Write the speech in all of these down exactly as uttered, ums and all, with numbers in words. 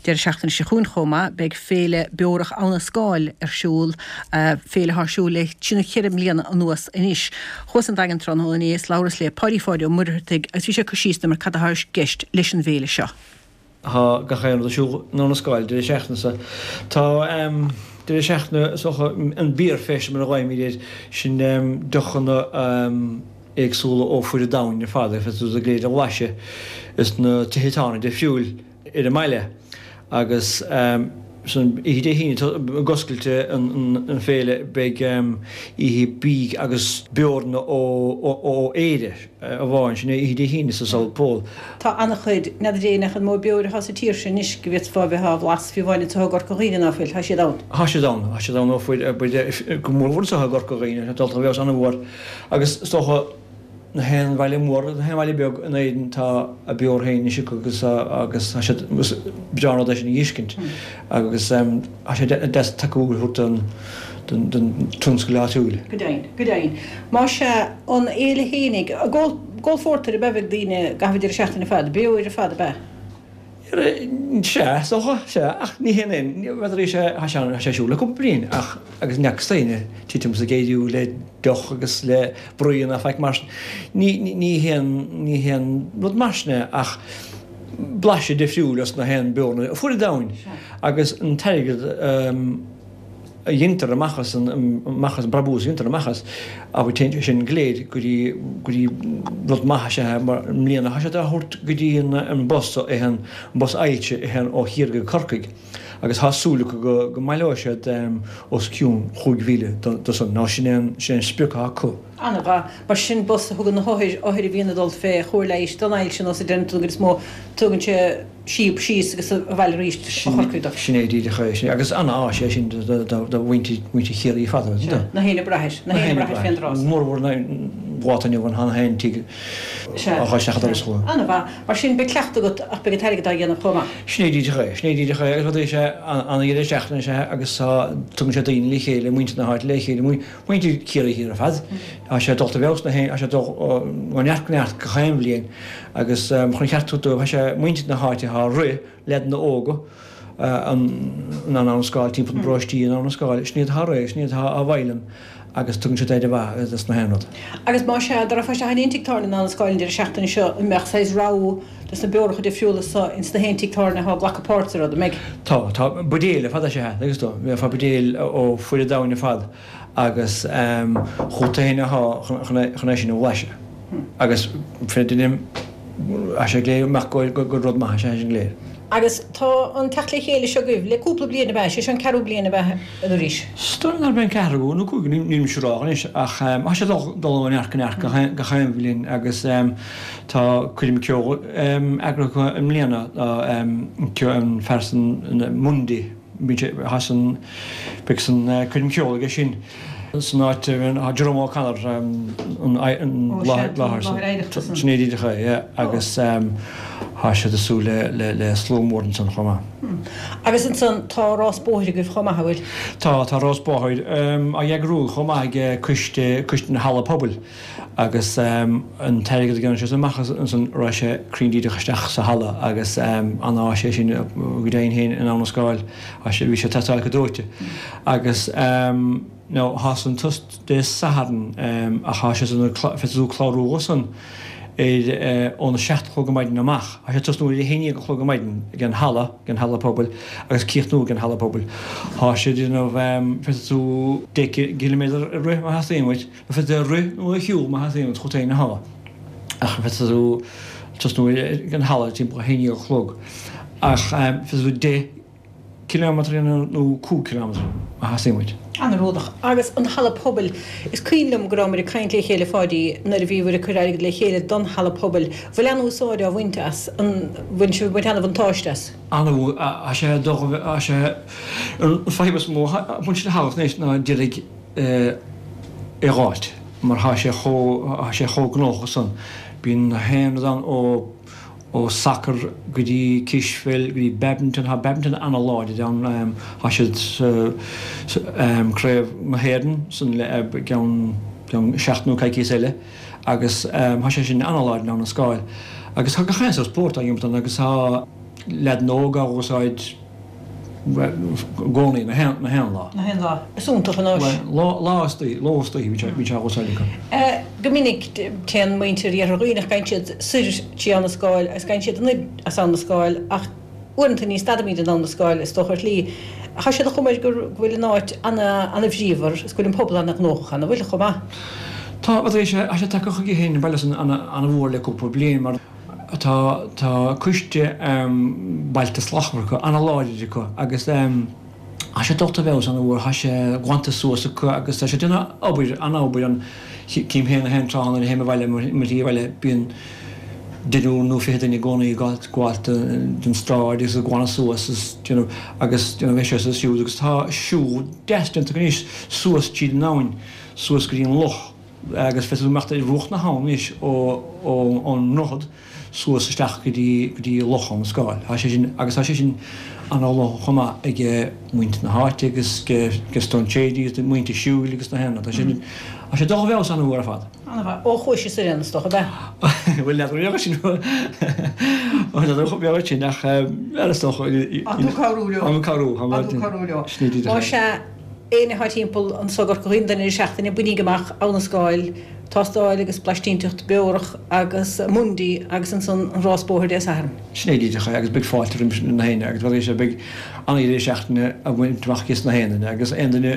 Deireadh seachtaine seo chugainn chomh maith, beidh Féile Beorach Abha na Scáil ar siúl, féile atá ar siúl le trí nó ceithre mbliana anuas anois. Chuas an Daingean tráthnóna inné is labhras le Páidí Pháidí Ó Muircheartaigh agus bhí sé ag cur síos dom ar cad atá i gceist leis an bhféile seo. Tá gach aon rud ar siúl in Abha na Scáil deireadh seachtaine seo. Tá deireadh seachtaine is dócha an Beer Fest mar a ghlaoimid air, sin deochanna éagsúla ó fuaid an domhain ar fad, féadfaidh tú iad go léir a bhlaiseadh is na tithe tábhairne difriúil ar an mbaile agus san oíche Dé hAoine ag oscailt an féile beidh oíche bídh agus beoranna ó Éire amháin, sin é oíche Dé hAoine sa South Pole. Tá an-chuid, n'fheadar Dé nach an mó beoir atá sa tír seo anois go bhféadfá a bheith á bhlas fiú amháin anseo i gCorca Dhuibhne ná fuil, tá siad ann. Tá siad ann, tá siad ann ó fuaid, go mórmhór anseo i gCorca Dhuibhne, tá dulta i bhfeabhas an-mhór agus is dócha na haon bhaile mór, na haon bhaile beag in Éirinn tá a beoir féin anois acu agus agus tá siad is breá an rud é sin a fheiscint agus tá sé deas tacú a thabhairt don don don tionscal áitiúil. Go deimhin, go deimhin. Más ea, an fhéile fhéinig, ag ól ag ól phórtair ab ea a bheidh daoine i gcaitheamh an deireadh seachtaine ar fad, beoir ar fad ab ea? Sea, is dócha, sea, ach ní hé an, n'fheadar sé, tá sé tá sé ar siúl le cúpla bliain ach agus ní fhacthas d'aoinne titim is ag éiriú le deoch agus le bruíon ná faic mar sin. Ní, ní haon, ní haon rud mar sin é ach blaiseadh difriúil as na haon beoranna ar fuaid an domhain agus an t-airgead a dhéantar amach as an, amach as an brabús a dhéantar amach as, abair, téann sé sin go léir go dtí, go dtí rud maith is ea mar i mbliana tá siad á thabhairt go dtí an, an bus a théann, an bus ailse a théann ó Chiarraí go Corcaigh agus tá súil acu go, go mbaileoidh siad os cionn chúig mhíle do, do san, nó sin é an, sin é an sprioc atá acu. An-mhaith. Mar sin bus a thugann na hothair, othair a bhíonn ag dul fé chóir leighis don ailse nó sa deireadh den chuid is mó, tugann sé síob síos agus abhaile arís ó Chorcaigh dóibh. Sin é díreach é. Sin é. Agus an-áis é sin do mhuintir, mhuintir Chiarraí ar fad. Sea. Na héinne ag brath air. Na héinne ag brath air fén dtráth. Mórmhór na lá atá inniu ann, tá na haon tigh á chur isteach an doras chucu. An-mhaith. Mar sin beidh cleachtadh agat ach beidh an t-airgead á dhéanamh chomh maith. Sin é díreach é. Sin é díreach é. Agus rud é sé an-dheireadh seachtaine is ea agus tá, tugann sé daoine le chéile, muintir na háite le chéile, Muintir Chiarraí Thiar ar fad. Tá sé dulta i bhfeabhas na tá sé dul ó neart go neart gach aon bhliain agus chun an cheart a thabhairt dóibh tá sé muintir na háite atá ag rith, leaideanna óga in Abha na Scáil timpeall na bparóistí in Abha na Scáil, sin iad atá ag rith, sin iad atá á bhfoghlaim agus tugann siad aire mhaith dos na haon rud. Agus más ea, dá rachfá isteach in aon tigh tábhairne in Abha na Scáil an deireadh seachtaine seo, an mbeadh saghas rogha dos na beoracha difriúla so ins na haon tigh tábhairne atá ag glacadh páirt sa rud, an mbeidh? Tá, tá. Buidéil ar fad is ea, agus do, bheifeá buidéil ó fuaid an domhain ar fad agus chugat féin athá chun é sin a bhlaiseadh. Agus fé dheireadh, tá sé go léir amach gur rud maith is ea é sin go léir. Agus tá an teacht le chéile seo agaibh le cúpla bliain ab ea? Sé seo an ceathrú bliain ab ea arís? Is dóigh liom gurb é an ceathrú nó cúigiú, níl mise ag rá anois, ach tá sé ag dul ó neart go neart gach aon bhliain agus tá coirm ceoil eagraithe acu i mbliana, an fear san Mundy, bíonn sé, tá san, beidh san coirm ceoil aige sin. San áit a Jerome O'Connor an láthair san. Sin é díreach é, yeah, agus tá siad ag súil le slua mór ansan chomh maith. Agus ansan tá rás bóthair agaibh chomh maith, an bhfuil? Tá, tá rás bóthair á eagrú chomh maith ag coiste, coiste na halla pobail. Agus an t-airgead a dhéanann sé amach ansan raghaidh sé cruinn díreach isteach sa halla agus an-áis é sin go deimhin féin in Abha na Scáil, bhí sé ag teastáil go dóite. Agus now thá san ag tosnú Dé Sathairn ach thá sé san féadfaidh tú clárú dhó san ar óna seacht a chlog ar maidin amach. Thá sé ag tosnú ar a haon déag a chlog ar maidin ag an halla, ag an halla pobail agus críochnú ag an halla pobail. Thá sé ag déanamh féadfaidh tú deich gciliméadar a rith má theastaíonn uait. Féadfaidh tú a rith nó a shiúl má theastaíonn uait, chugat féin athá. Ach féadfaidh tú tosnú ag an halla timpeall a haon déag a chlog. Ach féadfaidh tú deich cileámeadar a dhéanamh nó cúig cileámeadar má theastaíonn uait. An-rudach. Agus an halla pobail, is cuimhin liom go rabhamar ag caint le chéile, a Pháidí, nuair a bhíobhair ag cur airgead le chéile don halla pobail. Bhfuil an-úsáid á bhaint as? An bhfuil sibh ag baint an-bhuntáiste as? An-mhór. Tá sé ag dul, tá sé, an fadhb is mó a bhain le halla anois ná d'iarraidh é a dh'fháilt mar thá sé chomh, thá sé chomh gnóthach san. Bíonn na haon rud ann ó, ó sacar go dtí cispheil go dtí badminton, thá badminton ana-láidir ann, thá siad sa, sa craobh na hÉireann san le gceann, gceann seachtain nó coicíos eile agus thá sé sin ana-láidir in Abha na Scáil. Agus thá gach aon sórt spórt á imirt ann agus thá. leaideanna óga á úsáid i gcónaí na haon lá. Na haon lá. Is iontach an áis. Lá lá istoíche, ló istoíche bhí sé bhí sé á úsáid acu. Go minic téann muintir Iarthar Dhuibhneach, gabhann siad soir trí Abha na Scáil agus gabhann siad anoir as Abha na Scáil ach uaireanta ní stadaimid in Abha na Scáil is dócha ar shlí. Tá sé de chuma air go bhfuil an áit ana-bhríomhar is go bhfuil an pobal ana-ghnóthach ann, an bhfuil, chomh maith? Tá, tá sé tá sé tagtha chuige féin an baile san ana-mhór le cúpla bliain mar tá tá coiste Bailte Slachtmhara acu, ana-láidir acu agus tá sé dulta i bhfeabhas ana-mhór, tá sé glanta suas acu agus tá sé ag déanamh obair, ana-obair ann. Cím féin na haon tráth nuair a théim abhaile, mo shlí abhaile, bíonn deichniúr nó fiche duine i gcónaí ag gabháil den stráid agus ag glanadh suas is déanamh agus déanamh é seo is siúd agus tá siúl deas déanta acu anois suas tríd an abhainn suas go dtí an loch agus féadfaidh tú imeacht ar bhruach na habhann anois ó ón ndroichead suas isteach go dtí go dtí Loch Abha na Scáil. Tá sé sin agus tá sé sin an-ghnóthach chomh maith ag muintir na háite agus ag strainséirí agus muintir siúil agus na haon rud. Tá sé tá sé dul i bhfeabhas an-mhór ar fad. An-mhaith. Ó chuaigh sé soir ann is dócha, ab ea? Bhuel, n'fheadar an mbeadh sin n'fheadar an mbeadh sin ach ar is dócha. Tá tú cabhrú leo. Tá mé cabhrú. Tá tú cabhrú leo. Más ea, éinne atá timpeall anso i gCorca Dhuibhne don deireadh seachtaine, bainíg amach Abha na Scáil, tástáil agus blaistínteacht beorach agus Mundi agus ansan an rás bóthair Dé Sathairn. Sin é díreach é agus beidh fáilte roimh na héinne agus bheadh sé beidh an-deireadh seachtaine á bhaint amach aige na haon duine agus aon duine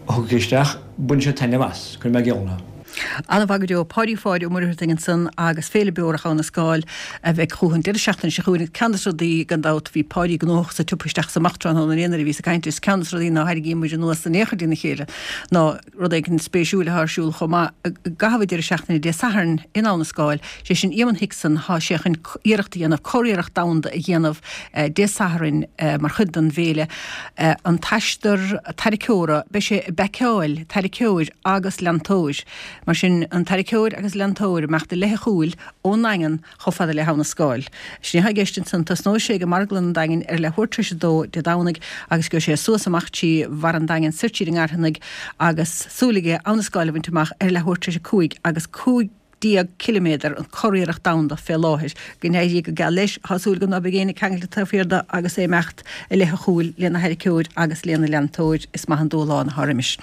a thiocfaidh isteach bainfidh sé taitneamh as, cuirfidh mé geall orthu. An-mhaith go deo. Páidí Pháid Ó Muircheartaigh ansan agus Féile Beorach Abha na Scáil a bheidh chucu an deireadh seachtaine seo chugainn. Ceann de na rudaí, gan dabht, bhí Páidí gnóthach sa tsiopa isteach is amach tráthnóna inné nuair a bhíos ag caint leis, ceann de na rudaí ná tharraingíonn muid anuas in aon chor dina chéile ná rud éigin spéisiúil atá ar siúl chomh maith i gcaitheamh an deireadh seachtaine Dé Sathairn in Abha na Scáil, sé sin Eamonn Hickson, tá sé chun iarracht a dhéanamh, curiarracht domhanda a dhéanamh Dé Sathairn mar chuid den bhféile, an t-aistear tarraiceora, beidh sé ag baiceáil tarraiceoir agus leantóir. Mar sin, an tarraiceoir agus leantóir ag imeacht i leith a chúil ón nDaingean chomh fada le hAbha na Scáil. Sin é atá i gceist ansan. Tosnóidh sé ag Marglann an Daingin ar leathuair tar éis a dó Dé Domhnaigh agus gheobhaidh sé suas amach trí bharr an Daingin soir tríd an nGairtheannaigh agus súil aige Abha na Scáil a bhaint amach ar leathuair tar éis a cúig agus cúig déag ciliméadar an curiarracht domhanda fé láthair. Go n-éirí go geal leis. Tá súil agam ná beidh éinne ceangailte taobh thiar de agus é ag imeacht i leith a chúil lena tharraiceoir agus lena leantóir. Is maith an dúshlán atá roimis.